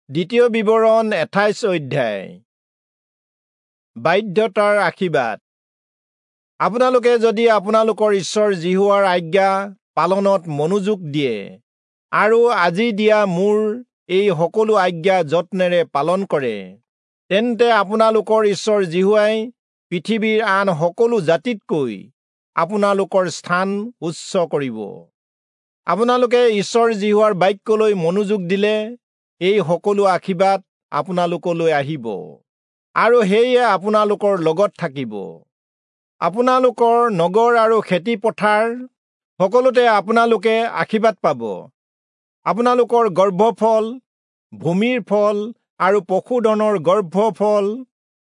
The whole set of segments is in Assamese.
দ্বিতীয় বিৱৰণ 28 অধ্যায়। বাধ্যতাৰ আশীৰ্বাদ। আপোনালোকে যদি আপোনালোকৰ ঈশ্বৰ যিহোৱাৰ আজ্ঞা পালনত মনোযোগ দিয়ে আৰু আজি দিয়া মোৰ এই সকলো আজ্ঞা যত্নেৰে পালন কৰে, তেন্তে আপোনালোকৰ ঈশ্বৰ যিহোৱাই পৃথিৱীৰ আন সকলো জাতিতকৈ আপোনালোকৰ স্থান উচ্চ কৰিব। আপোনালোকে ঈশ্বৰ যিহোৱাৰ বাক্যলৈ মনোযোগ দিলে এই সকলো আশীৰ্বাদ আপোনালোকলৈ আহিব আৰু সেয়ে আপোনালোকৰ লগত থাকিব। আপোনালোকৰ নগৰ আৰু খেতি পথাৰ সকলোতে আপোনালোকে আশীৰ্বাদ পাব। আপোনালোকৰ গৰ্ভফল, ভূমিৰ ফল আৰু পশুধনৰ গৰ্ভফল,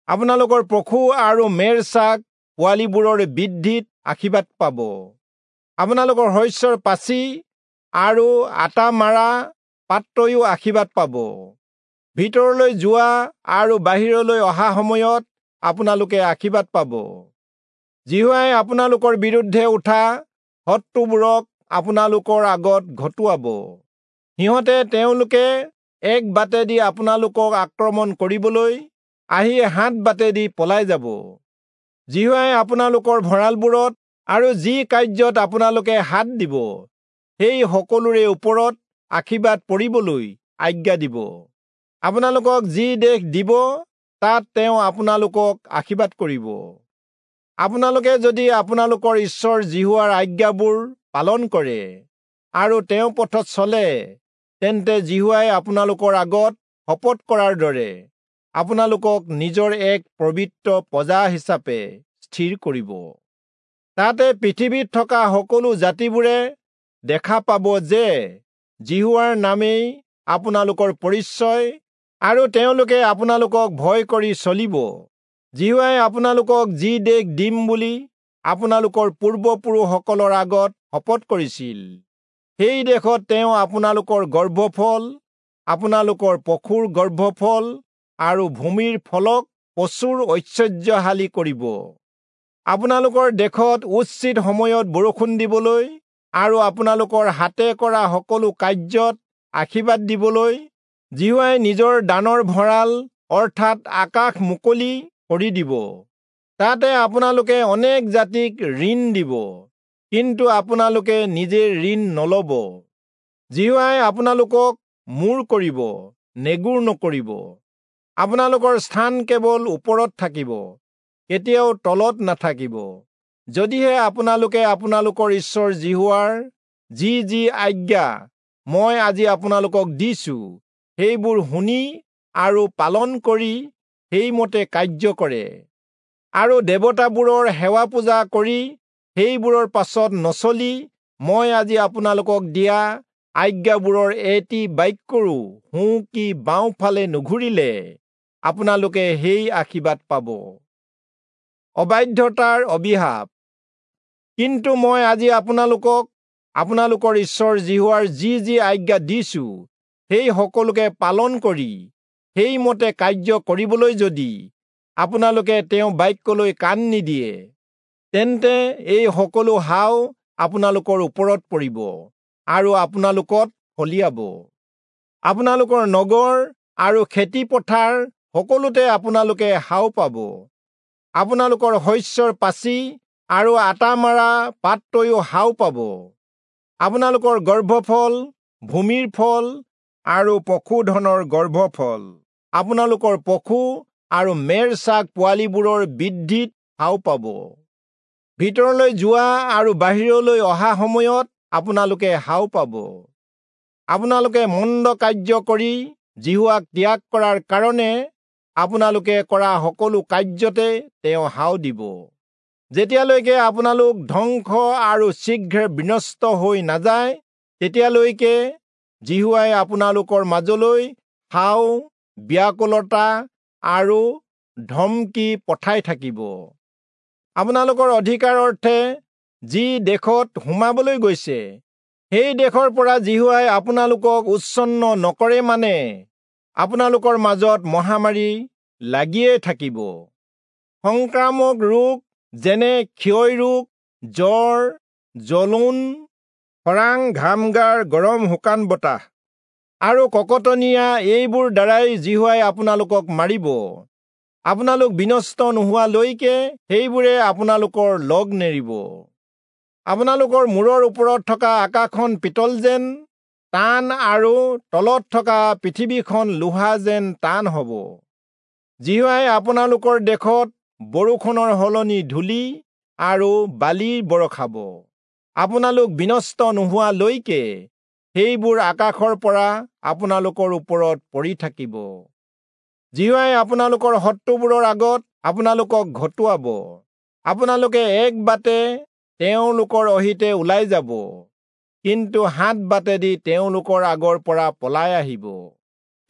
আপোনালোকৰ পশু আৰু মেৰ ছাগ পোৱালিবোৰৰ বৃদ্ধিত আশীৰ্বাদ পাব। আপোনালোকৰ শস্যৰ পাচি আৰু আটা মাৰা পাত্ৰয়ো আশীৰ্বাদ পাব। ভিতৰলৈ যোৱা আৰু বাহিৰলৈ অহা সময়ত আপোনালোকে আশীৰ্বাদ পাব। যিহোৱাই আপোনালোকৰ বিৰুদ্ধে উঠা শত্ৰুবোৰক আপোনালোকৰ আগত ঘটুৱাব। সিহঁতে তেওঁলোকে এক বাটেদি আপোনালোকক আক্ৰমণ কৰিবলৈ আহি সাত বাটেদি পলাই যাব। যিহোৱাই আপোনালোকৰ ভঁৰালবোৰত আৰু যি কাৰ্যত আপোনালোকে হাত দিব সেই সকলোৰে ওপৰত আশীৰ্বাদ পৰিবলৈ আজ্ঞা দিব। আপোনালোকক যি দেশ দিব তাত তেওঁ আপোনালোকক আশীৰ্বাদ কৰিব। আপোনালোকে যদি আপোনালোকৰ ঈশ্বৰ যিহোৱাৰ আজ্ঞাবোৰ পালন কৰে আৰু তেওঁ পথত চলে, তেন্তে যিহোৱাই আপোনালোকৰ আগত শপত কৰাৰ দৰে আপোনালোকক নিজৰ এক পবিত্ৰ প্ৰজা হিচাপে স্থিৰ কৰিব। তাতে পৃথিৱীত থকা সকলো জাতিবোৰে দেখা পাব যে যিহোৱাৰ নামেই আপোনালোকৰ পৰিচয় আৰু তেওঁলোকে আপোনালোকক ভয় কৰি চলিব। যিহোৱাই আপোনালোকক যি দেশ দিম বুলি আপোনালোকৰ পূৰ্বপুৰুষসকলৰ আগত শপত কৰিছিল, সেই দেশত তেওঁ আপোনালোকৰ গৰ্ভফল, আপোনালোকৰ পশুৰ গৰ্ভফল আৰু ভূমিৰ ফলক প্ৰচুৰ ঐশ্বৰ্যশালী কৰিব। আপোনালোকৰ দেশত উচিত সময়ত বৰষুণ দিবলৈ আৰু আপোনালোকৰ হাতে কৰা সকলো কাৰ্যত আশীৰ্বাদ দিবলৈ যিহোৱাই নিজৰ দানৰ ভঁৰাল অৰ্থাৎ আকাশ মুকলি কৰি দিব। তাতে আপোনালোকে অনেক জাতিক ঋণ দিব, কিন্তু আপোনালোকে নিজে ঋণ নলব। যিহোৱাই আপোনালোকক মূৰ কৰিব, নেগুৰ নকৰিব। আপোনালোকৰ স্থান কেৱল ওপৰত থাকিব, কেতিয়াও তলত নাথাকিব। যদিহে আপোনালোকে আপোনালোকৰ ঈশ্বৰ যিহোৱাৰ যি যি আজ্ঞা মই আজি আপোনালোকক দিছো সেইবোৰ শুনি আৰু পালন কৰি সেইমতে কাৰ্য কৰে আৰু দেৱতাবোৰৰ সেৱা পূজা কৰি সেইবোৰৰ পাছত নচলি মই আজি আপোনালোকক দিয়া আজ্ঞাবোৰৰ এটি বাক্যৰো সোঁ কি বাওঁফালে নুঘূৰিলে আপোনালোকে সেই আশীৰ্বাদ পাব। অবাধ্যতাৰ অভিশাপ। কিন্তু মই আজি আপোনালোকক আপোনালোকৰ ঈশ্বৰ যিহোৱাৰ যি যি আজ্ঞা দিছো সেই সকলোকে পালন কৰি সেইমতে কাৰ্য কৰিবলৈ যদি আপোনালোকে তেওঁ বাক্যলৈ কাণ নিদিয়ে, তেন্তে এই সকলো হাও আপোনালোকৰ ওপৰত পৰিব আৰু আপোনালোকত ফলিয়াব। আপোনালোকৰ নগৰ আৰু খেতি পথাৰ সকলোতে আপোনালোকে হাও পাব। আপোনালোকৰ শস্যৰ পাচি আৰু আটা মাৰা পাত্ৰয়ো হাও পাব। আপোনালোকৰ গৰ্ভফল, ভূমিৰ ফল আৰু পশুধনৰ গৰ্ভফল, আপোনালোকৰ পশু আৰু মেৰ ছাগ পোৱালিবোৰৰ বৃদ্ধিত হাও পাব। ভিতৰলৈ যোৱা আৰু বাহিৰলৈ অহা সময়ত আপোনালোকে হাও পাব। আপোনালোকে মন্দ কাৰ্য কৰি যিহোৱাক ত্যাগ কৰাৰ কাৰণে আপোনালোকে কৰা সকলো কাৰ্যতে তেওঁ হাও দিব। যেতিয়ালৈকে আপোনালোক ধ্বংস আৰু শীঘ্ৰে বিনষ্ট হৈ নাযায়, তেতিয়ালৈকে যিহোৱাই আপোনালোকৰ মাজলৈ হাও, ব্যাকুলতা আৰু ধমকি পঠাই থাকিব। আপোনালোকৰ অধিকাৰ অৰ্থে যি দেশত সোমাবলৈ গৈছে, সেই দেশৰ পৰা যিহোৱাই আপোনালোকক উচ্ছন্ন নকৰে মানে আপোনালোকৰ মাজত মহামাৰী লাগিয়ে থাকিব। সংক্ৰামক ৰোগ যেনে ক্ষয় ৰোগ, জ্বৰ, জ্বলন, খৰাং, ঘামগাৰ, গৰম শুকান বতাহ। আৰু ককটনীয়া এইবোৰ দ্বাৰাই যিহোৱাই আপোনালোকক মাৰিব। আপোনালোক বিনষ্ট নোহোৱালৈকে সেইবোৰে আপোনালোকৰ লগ নেৰিব। আপোনালোকৰ মূৰৰ ওপৰত থকা আকাশখন পিতল যেন টান আৰু তলত থকা পৃথিৱীখন লোহা যেন টান হ'ব। যিহোৱাই আপোনালোকৰ দেশত বৰষুণৰ সলনি ধূলি আৰু বালি বৰষাব। আপোনালোক বিনষ্ট নোহোৱালৈকে সেইবোৰ আকাশৰ পৰা আপোনালোকৰ ওপৰত পৰি থাকিব। যিহোৱাই আপোনালোকৰ শত্ৰুবোৰৰ আগত আপোনালোকক ঘটুৱাব। আপোনালোকে এক বাটে তেওঁলোকৰ অহিতে ওলাই যাব, কিন্তু 7 বাটেদি তেওঁলোকৰ আগৰ পৰা পলাই আহিব।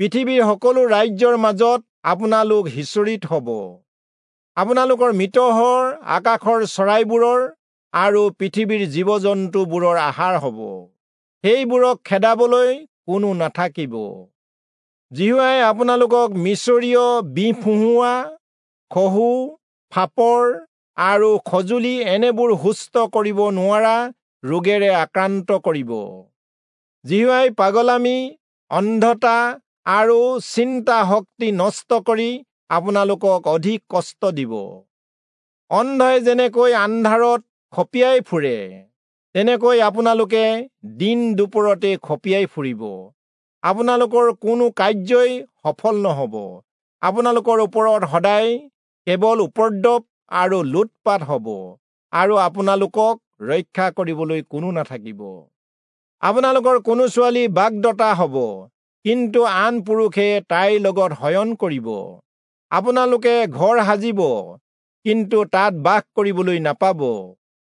পৃথিৱীৰ সকলো ৰাজ্যৰ মাজত আপোনালোক সিঁচৰিত হ'ব। আপোনালোকৰ মৃতহৰ আকাশৰ চৰাইবোৰৰ আৰু পৃথিৱীৰ জীৱ জন্তুবোৰৰ আহাৰ হ'ব। সেইবোৰক খেদাবলৈ কোনো নাথাকিব। যিহোৱাই আপোনালোকক মিচৰীয় বিহ ফুঁহুৱা, খহু, ফাপৰ আৰু খজুলি এনেবোৰ সুস্থ কৰিব নোৱাৰা ৰোগেৰে আক্ৰান্ত কৰিব। যিহোৱাই পাগলামি, অন্ধতা আৰু চিন্তা শক্তি নষ্ট কৰি আপোনালোকক অধিক কষ্ট দিব। অন্ধই যেনেকৈ আন্ধাৰত খপিয়াই ফুৰে, তেনেকৈ আপোনালোকে দিন দুপৰতে খপিয়াই ফুৰিব। আপোনালোকৰ কোনো কাৰ্যই সফল নহ'ব। আপোনালোকৰ ওপৰত সদায় কেৱল উপদ্ৰৱ আৰু লুটপাত হ'ব আৰু আপোনালোকক ৰক্ষা কৰিবলৈ কোনো নাথাকিব। আপোনালোকৰ কোনো ছোৱালী বাগদত্তা হ'ব, কিন্তু আন পুৰুষে তাইৰ লগত শয়ন কৰিব। আপোনালোকে ঘৰ সাজিব, কিন্তু তাত বাস কৰিবলৈ নাপাব,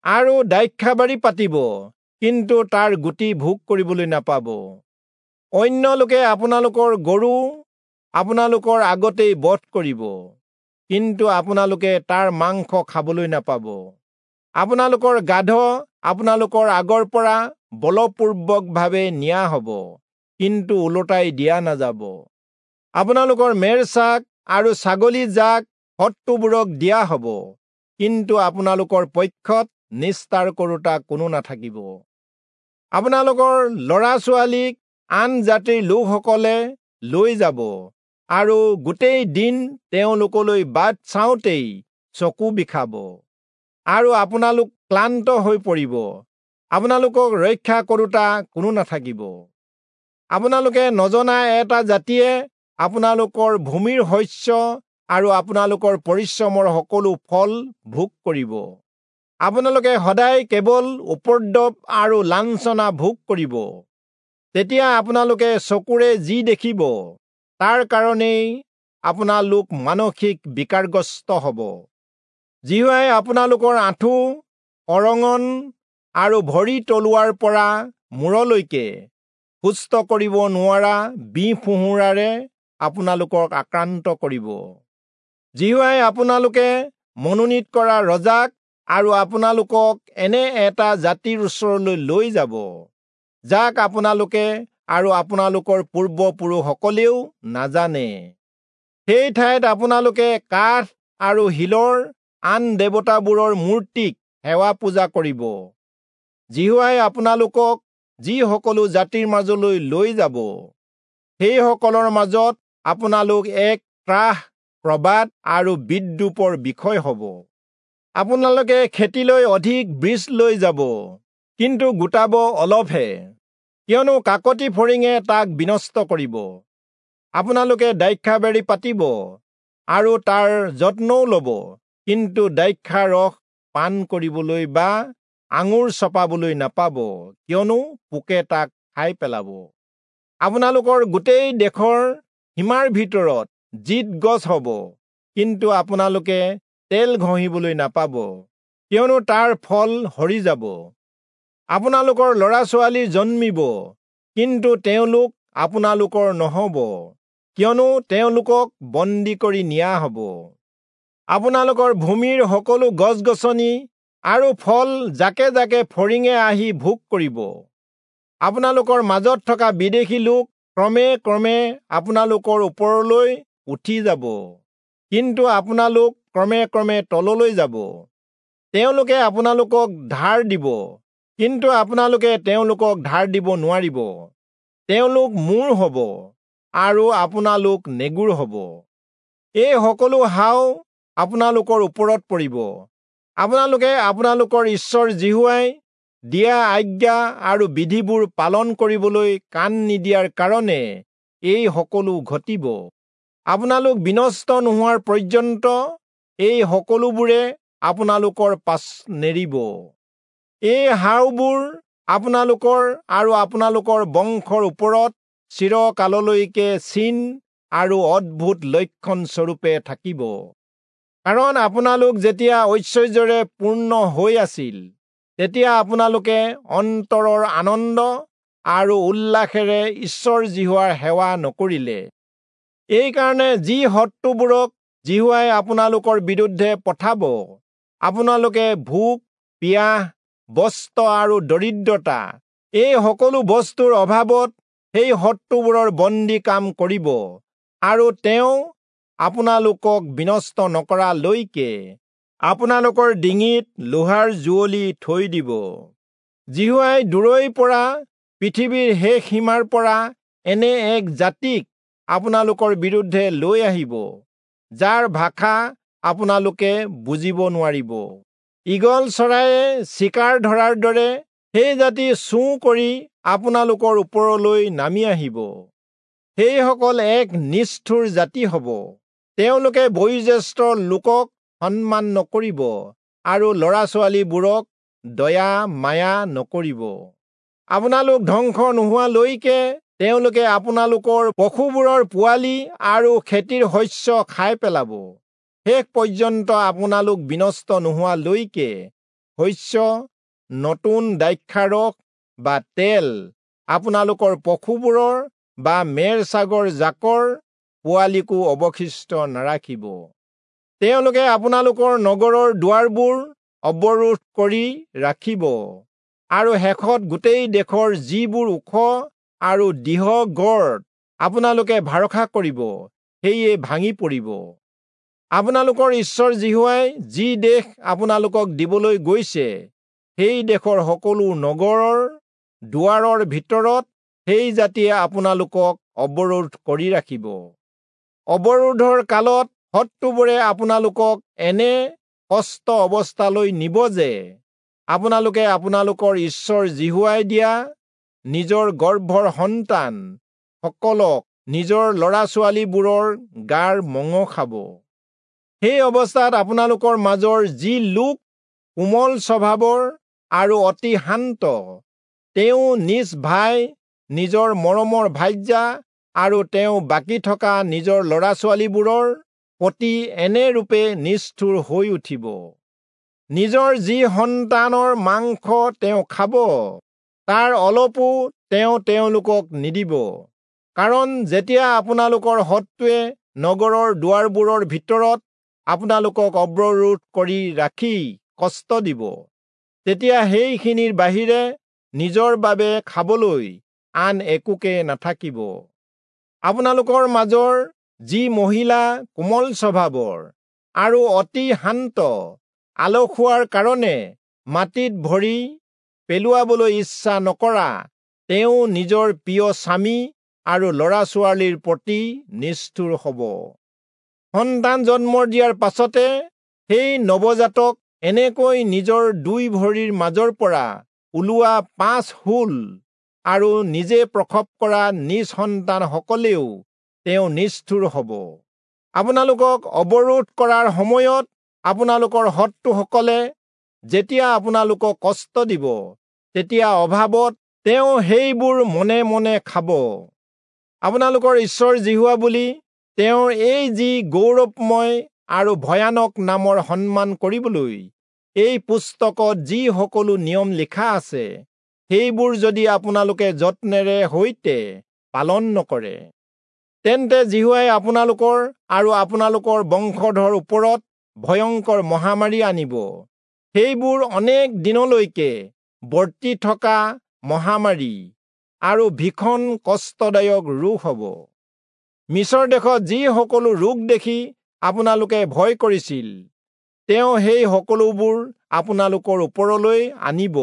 আৰু দ্ৰাক্ষাবাৰী পাতিব, কিন্তু তাৰ গুটি ভোগ কৰিবলৈ নাপাব। অন্য লোকে আপোনালোকৰ গৰু আপোনালোকৰ আগতেই বধ কৰিব, কিন্তু আপোনালোকে তাৰ মাংস খাবলৈ নাপাব। আপোনালোকৰ গাধ আপোনালোকৰ আগৰ পৰা বলপূৰ্বকভাৱে নিয়া হ'ব, কিন্তু ওলোটাই দিয়া নাযাব। আপোনালোকৰ মেৰচাক আৰু ছাগলী জাক শত্ৰুবোৰক দিয়া হ'ব, কিন্তু আপোনালোকৰ পক্ষত নিস্তাৰ কৰোঁতা কোনো নাথাকিব। আপোনালোকৰ ল'ৰা ছোৱালীক আন জাতিৰ লোকসকলে লৈ যাব আৰু গোটেই দিন তেওঁলোকলৈ বাট চাওঁতেই চকু বিষাব আৰু আপোনালোক ক্লান্ত হৈ পৰিব। আপোনালোকক ৰক্ষা কৰোঁতা কোনো নাথাকিব। আপোনালোকে নজনা এটা জাতিয়ে আপোনালোকৰ ভূমিৰ শস্য আৰু আপোনালোকৰ পৰিশ্ৰমৰ সকলো ফল ভোগ কৰিব। আপোনালোকে সদায় কেৱল উপদ্ৰৱ আৰু লাঞ্ছনা ভোগ কৰিব। তেতিয়া আপোনালোকে চকুৰে যি দেখিব তাৰ কাৰণেই আপোনালোক মানসিক বিকাৰগ্ৰস্ত হ'ব। যিহোৱাই আপোনালোকৰ আঁঠু, অৰঙন আৰু ভৰি তলুৱাৰ পৰা মূৰলৈকে সুস্থ কৰিব নোৱাৰা বিহ ফুঁহুৰাৰে আপোনালোকক আক্ৰান্ত কৰিব। যিহোৱাই আপোনালোকে মনোনীত কৰা ৰজাক আৰু আপোনালোকক এনে এটা জাতিৰ ওচৰলৈ লৈ যাব, যাক আপোনালোকে আৰু আপোনালোকৰ পূৰ্বপুৰুষসকলেও নাজানে। সেই ঠাইত আপোনালোকে কাঠ আৰু শিলৰ আন দেৱতাবোৰৰ মূৰ্তিক সেৱা পূজা কৰিব। যিহোৱাই আপোনালোকক যি সকলো জাতিৰ মাজলৈ লৈ যাব, সেইসকলৰ মাজত আপোনালোক এক ত্ৰাস, প্ৰবাদ আৰু বিদ্ৰূপৰ বিষয় হ'ব। আপোনালোকে খেতিলৈ অধিক বীজ লৈ যাব, কিন্তু গোটাব অলপহে, কিয়নো কাকতি ফৰিঙে তাক বিনষ্ট কৰিব। আপোনালোকে দ্ৰাক্ষাবাৰী পাতিব আৰু তাৰ যত্নও ল'ব, কিন্তু দ্ৰাক্ষা ৰস পান কৰিবলৈ বা আঙুৰ চপাবলৈ নাপাব, কিয়নো পোকে তাক খাই পেলাব। আপোনালোকৰ গোটেই দেশৰ সীমাৰ ভিতৰত জিত গছ হ'ব, কিন্তু আপোনালোকে তেল ঘঁহিবলৈ নাপাব, কিয়নো তাৰ ফল সৰি যাব। আপোনালোকৰ ল'ৰা ছোৱালী জন্মিব, কিন্তু তেওঁলোক আপোনালোকৰ নহ'ব, কিয়নো তেওঁলোকক বন্দী কৰি নিয়া হ'ব। আপোনালোকৰ ভূমিৰ সকলো গছ গছনি আৰু ফল জাকে জাকে ফৰিঙে আহি ভোগ কৰিব। আপোনালোকৰ মাজত থকা বিদেশী লোক ক্ৰমে ক্ৰমে আপোনালোকৰ ওপৰলৈ উঠি যাব, কিন্তু আপোনালোক ক্ৰমে ক্ৰমে তললৈ যাব। তেওঁলোকে আপোনালোকক ধাৰ দিব, কিন্তু আপোনালোকে তেওঁলোকক ধাৰ দিব নোৱাৰিব। তেওঁলোক মূৰ হ'ব আৰু আপোনালোক নেগুৰ হ'ব। এই সকলো হাও আপোনালোকৰ ওপৰত পৰিব। আপোনালোকে আপোনালোকৰ ঈশ্বৰ যিহোৱাই দিয়া আজ্ঞা আৰু বিধিবোৰ পালন কৰিবলৈ কাণ নিদিয়াৰ কাৰণে এই সকলো ঘটিব। আপোনালোক বিনষ্ট নোহোৱাৰ পৰ্যন্ত এই সকলোবোৰে আপোনালোকৰ পাছ নেৰিব। এই হাওবোৰ আপোনালোকৰ আৰু আপোনালোকৰ বংশৰ ওপৰত চিৰকাললৈকে চিন আৰু অদ্ভুত লক্ষণ স্বৰূপে থাকিব। কাৰণ আপোনালোক যেতিয়া ঐশ্বৰ্যৰে পূৰ্ণ হৈ আছিল, তেতিয়া আপোনালোকে অন্তৰৰ আনন্দ আৰু উল্লাসেৰে ঈশ্বৰ যিহোৱাৰ সেৱা নকৰিলে। এইকাৰণে যি শত্ৰুবোৰক যিহোৱাই আপোনালোকৰ বিৰুদ্ধে পঠাব, আপোনালোকে ভোক, পিয়াহ, বস্ত্ৰ আৰু দৰিদ্ৰতা এই সকলো বস্তুৰ অভাৱত সেই শত্ৰুবোৰৰ বন্দী কাম কৰিব, আৰু তেওঁ আপোনালোকক বিনষ্ট নকৰালৈকে আপোনালোকৰ ডিঙিত লোহাৰ জুৱলি থৈ দিব। যিহোৱাই দূৰৈৰ পৰা, পৃথিৱীৰ শেষ সীমাৰ পৰা এনে এক জাতিক আপোনালোকৰ বিৰুদ্ধে লৈ আহিব, যাৰ ভাষা আপোনালোকে বুজিব নোৱাৰিব। ঈগল চৰাইয়ে চিকাৰ ধৰাৰ দৰে সেই জাতি চোঁ কৰি আপোনালোকৰ ওপৰলৈ নামি আহিব। সেইসকল এক নিষ্ঠুৰ জাতি হ'ব। তেওঁলোকে বয়োজ্যেষ্ঠ লোকক সন্মান নকৰিব আৰু ল'ৰা ছোৱালীবোৰক দয়া মায়া নকৰিব। আপোনালোক ধ্বংস নোহোৱালৈকে তেওঁলোকে আপোনালোকৰ পশুবোৰৰ পোৱালি আৰু খেতিৰ শস্য খাই পেলাব। শেষ পৰ্যন্ত আপোনালোক বিনষ্ট নোহোৱালৈকে শস্য, নতুন দ্ৰাক্ষাৰস বা তেল আপোনালোকৰ পশুবোৰৰ বা মেৰ ছাগৰ জাকৰ পোৱালিকো অৱশিষ্ট নাৰাখিব। তেওঁলোকে আপোনালোকৰ নগৰৰ দুৱাৰবোৰ অৱৰোধ কৰি ৰাখিব আৰু শেষত গোটেই দেশৰ যিবোৰ ওখ আৰু দৃঢ় গড় আপোনালোকে ভৰসা কৰিব, সেয়ে ভাঙি পৰিব। আপোনালোকৰ ঈশ্বৰ যিহোৱাই যি দেশ আপোনালোকক দিবলৈ গৈছে, সেই দেশৰ সকলো নগৰৰ দুৱাৰৰ ভিতৰত সেই জাতিয়ে আপোনালোকক অৱৰোধ কৰি ৰাখিব। অৱৰোধৰ কালত শত্ৰুবোৰে আপোনালোকক এনে কষ্ট অৱস্থালৈ নিব যে আপোনালোকে আপোনালোকৰ ঈশ্বৰ যিহোৱাই দিয়া নিজৰ গৰ্ভৰ সন্তান সকলক নিজৰ ল'ৰা ছোৱালীবোৰৰ গাৰ মঙহ খাব। সেই অৱস্থাত আপোনালোকৰ মাজৰ যি লোক কোমল স্বভাৱৰ আৰু অতি শান্ত, তেওঁ নিজ ভাই, নিজৰ মৰমৰ ভাৰ্যা আৰু তেওঁ বাকী থকা নিজৰ ল'ৰা ছোৱালীবোৰৰ প্ৰতি এনে ৰূপে নিষ্ঠুৰ হৈ উঠিব। নিজৰ যি সন্তানৰ মাংস তেওঁ খাব, তাৰ অলপো তেওঁ তেওঁলোকক নিদিব। কাৰণ যেতিয়া আপোনালোকৰ শত্ৰুৱে নগৰৰ দুৱাৰবোৰৰ ভিতৰত আপোনালোকক অৱৰোধ কৰি ৰাখি কষ্ট দিব, তেতিয়া সেইখিনিৰ বাহিৰে নিজৰ বাবে খাবলৈ আন একোকে নাথাকিব। আপোনালোকৰ মাজৰ যি মহিলা কোমল স্বভাৱৰ আৰু অতি শান্ত, আলসুৱাৰ কাৰণে মাটিত ভৰি পেলোৱাবলৈ ইচ্ছা নকৰা, তেওঁ নিজৰ প্ৰিয় স্বামী আৰু ল'ৰা ছোৱালীৰ প্ৰতি নিষ্ঠুৰ হ'ব। সন্তান জন্ম দিয়াৰ পাছতে সেই নৱজাতক এনেকৈ নিজৰ দুই ভৰিৰ মাজৰ পৰা ওলোৱা 5 হুল আৰু নিজে প্ৰসৱ কৰা নিজ সন্তানসকলেও তেওঁ নিষ্ঠুৰ হ'ব। আপোনালোকক অৱৰোধ কৰাৰ সময়ত আপোনালোকৰ শত্ৰুসকলে যেতিয়া আপোনালোকক কষ্ট দিব, তেতিয়া অভাৱত তেওঁ সেইবোৰ মনে মনে খাব। আপোনালোকৰ ঈশ্বৰ যিহোৱা বুলি তেওঁৰ এই যি গৌৰৱময় আৰু ভয়ানক নামৰ সন্মান কৰিবলৈ এই পুস্তকত যি সকলো নিয়ম লিখা আছে, সেইবোৰ যদি আপোনালোকে যত্নেৰে সৈতে পালন নকৰে, তেন্তে যিহোৱাই আপোনালোকৰ আৰু আপোনালোকৰ বংশধৰ ওপৰত ভয়ংকৰ মহামাৰী আনিব। সেইবোৰ অনেক দিনলৈকে বৰ্তি থকা মহামাৰী আৰু ভীষণ কষ্টদায়ক ৰোগ হ'ব। মিছৰ দেশত যি সকলো ৰোগ দেখি আপোনালোকে ভয় কৰিছিল, তেওঁ সেই সকলোবোৰ আপোনালোকৰ ওপৰলৈ আনিব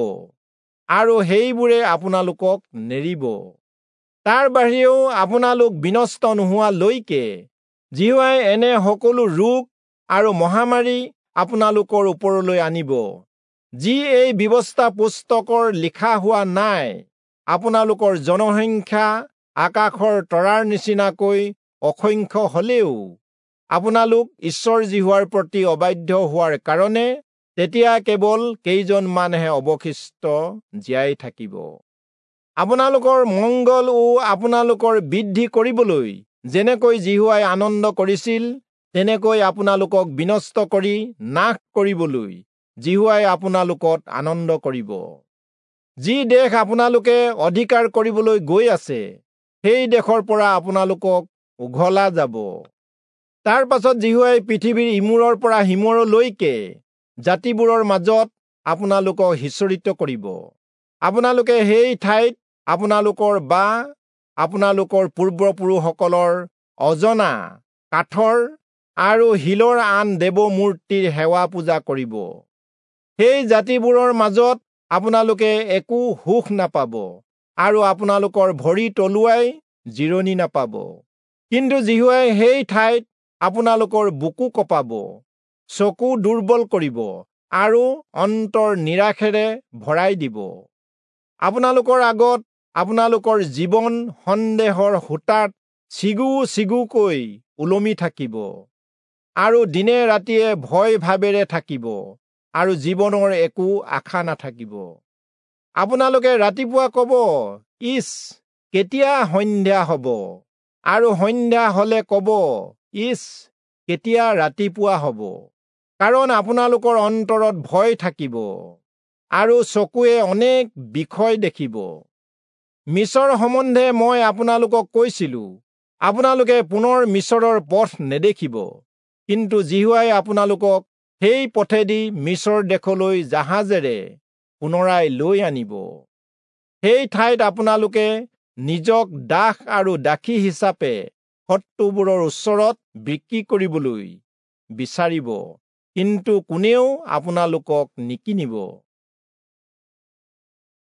আৰু সেইবোৰে আপোনালোকক নেৰিব। তাৰ বাহিৰেও আপোনালোক বিনষ্ট নোহোৱালৈকে যিহোৱাই এনে সকলো ৰোগ আৰু মহামাৰী আপোনালোকৰ ওপৰলৈ আনিব, যি এই ব্যৱস্থা পুস্তকৰ লিখা হোৱা নাই। আপোনালোকৰ জনসংখ্যা আকাশৰ তৰাৰ নিচিনাকৈ অসংখ্য হলেও আপোনালোক ঈশ্বৰ যিহোৱাৰ প্ৰতি অবাধ্য হোৱাৰ কাৰণে তেতিয়া কেৱল কেইজনমানহে অৱশিষ্ট জীয়াই থাকিব। আপোনালোকৰ মংগল ও আপোনালোকৰ বৃদ্ধি কৰিবলৈ যেনেকৈ যিহোৱাই আনন্দ কৰিছিল, তেনেকৈ আপোনালোকক বিনষ্ট কৰি নাশ কৰিবলৈ যিহোৱাই আপোনালোকত আনন্দ কৰিব। যি দেশ আপোনালোকে অধিকাৰ কৰিবলৈ গৈ আছে, সেই দেশৰ পৰা আপোনালোকক উঘলা যাব। তাৰ পাছত যিহোৱাই পৃথিৱীৰ ইমূৰৰ পৰা সিমূৰলৈকে জাতিবোৰৰ মাজত আপোনালোকক সিঁচৰিত কৰিব। আপোনালোকে সেই ঠাইত আপোনালোকৰ বা আপোনালোকৰ পূৰ্বপুৰুষসকলৰ অজনা কাঠৰ আৰু শিলৰ আন দেৱমূৰ্তিৰ সেৱা পূজা কৰিব। সেই জাতিবোৰৰ মাজত আপোনালোকে একো সুখ নাপাব আৰু আপোনালোকৰ ভৰি তলুৱাই জিৰণি নাপাব। কিন্তু যিহোৱাই সেই ঠাইত আপোনালোকৰ বুকু কঁপাব, চকু দুৰ্বল কৰিব আৰু অন্তৰ নিৰাশেৰে ভৰাই দিব। আপোনালোকৰ আগত আপোনালোকৰ জীৱন সন্দেহৰ সূতাত চিগু চিগুকৈ ওলমি থাকিব আৰু দিনে ৰাতিয়ে ভয় ভাৱেৰে থাকিব আৰু জীৱনৰ একো আশা নাথাকিব। আপোনালোকে ৰাতিপুৱা ক'ব, ইচ, কেতিয়া সন্ধ্যা হ'ব? আৰু সন্ধ্যা হ'লে ক'ব, ইচ, কেতিয়া ৰাতিপুৱা হ'ব? কাৰণ আপোনালোকৰ অন্তৰত ভয় থাকিব আৰু চকুৱে অনেক বিষয় দেখিব। মিছৰ সম্বন্ধে মই আপোনালোকক কৈছিলো, আপোনালোকে পুনৰ মিছৰৰ পথ নেদেখিব। কিন্তু যিহোৱাই আপোনালোকক সেই পথেদি মিছৰ দেশলৈ জাহাজেৰে পুনৰাই লৈ আনিব। সেই ঠাইত আপোনালোকে নিজক দাস আৰু দাসী হিচাপে শত্ৰুবোৰৰ ওচৰত বিক্ৰী কৰিবলৈ বিচাৰিব, কিন্তু কোনেও আপোনালোকক নিকিনিব।